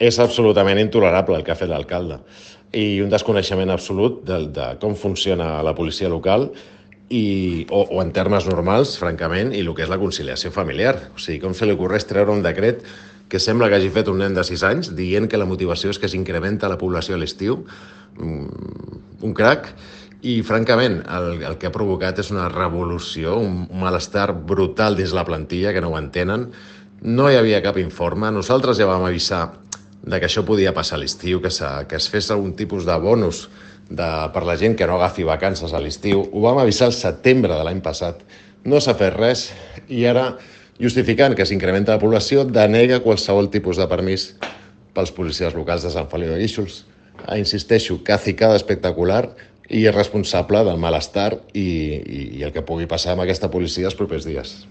És absolutament intolerable el que ha fet l'alcalde i un desconeixement absolut de com funciona la policia local o en termes normals, francament, i el que és la conciliació familiar. O sigui, com se li ocorreix treure un decret que sembla que hagi fet un nen de 6 anys dient que la motivació és que s'incrementa la població a l'estiu, un crac, i francament el que ha provocat és una revolució, un malestar brutal dins la plantilla, que no ho entenen. No hi havia cap informe, nosaltres ja vam avisar de que això podia passar a l'estiu, que es fes algun tipus de bonus per la gent que no agafi vacances a l'estiu. Ho vam avisar al setembre de l'any passat. No s'ha fet res i ara, justificant que s'incrementa la població, denega qualsevol tipus de permís pels policies locals de Sant Feliu de Guíxols. Insisteixo, cacicada espectacular i irresponsable del malestar i el que pugui passar amb aquesta policia els propers dies.